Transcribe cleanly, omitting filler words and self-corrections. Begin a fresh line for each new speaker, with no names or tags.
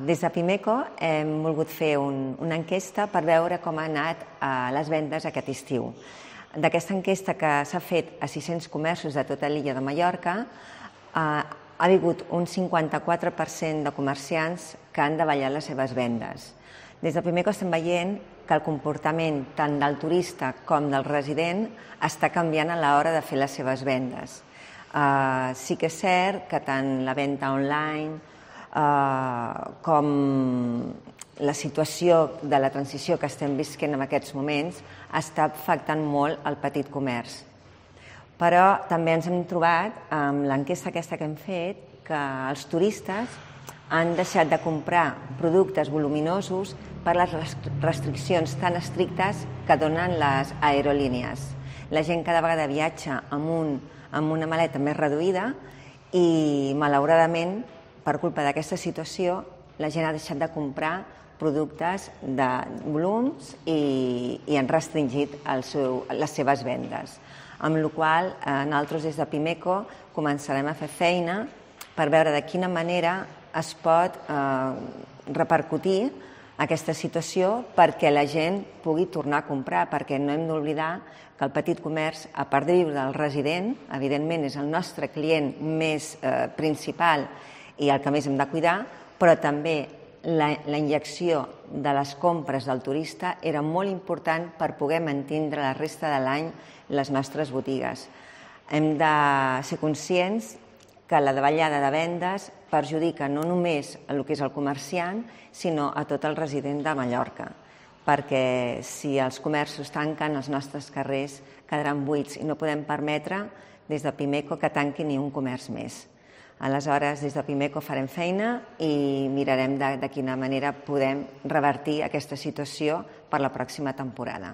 Des de Pimeco hem volgut fer una enquesta per veure com han anat les vendes aquest estiu. D'aquesta enquesta, que s'ha fet a 600 comerços de tota l'illa de Mallorca, ha hagut un 54% de comerciants que han davallat les seves vendes. Des de Pimeco estem veient que el comportament tant del turista com del resident està canviant a l'hora de fer les seves vendes. Sí que és cert que tant la venda online com la situació de la transició que estem visquent en aquests moments està afectant molt el petit comerç. Però també ens hem trobat amb l'enquesta aquesta que hem fet que els turistes han deixat de comprar productes voluminosos per les restriccions tan estrictes que donen les aerolínies. La gent cada vegada viatja amb una maleta més reduïda i, malauradament, per culpa d'aquesta situació, la gent ha deixat de comprar productes de volums i han restringit les seves vendes. Amb la qual cosa, nosaltres des de Pimeco començarem a fer feina per veure de quina manera es pot repercutir aquesta situació perquè la gent pugui tornar a comprar, perquè no hem d'oblidar que el petit comerç, a part de viure del resident, evidentment és el nostre client més principal i el que més hem de cuidar, però també la injecció de les compres del turista era molt important per poder mantindre la resta de l'any les nostres botigues. Hem de ser conscients que la davallada de vendes perjudica no només el que és el comerciant, sinó a tot el resident de Mallorca, perquè si els comerços tanquen, els nostres carrers quedaran buits i no podem permetre des de Pimeco que tanqui ni un comerç més. Aleshores, des de Pimeco farem feina i mirarem de quina manera podem revertir aquesta situació per la pròxima temporada.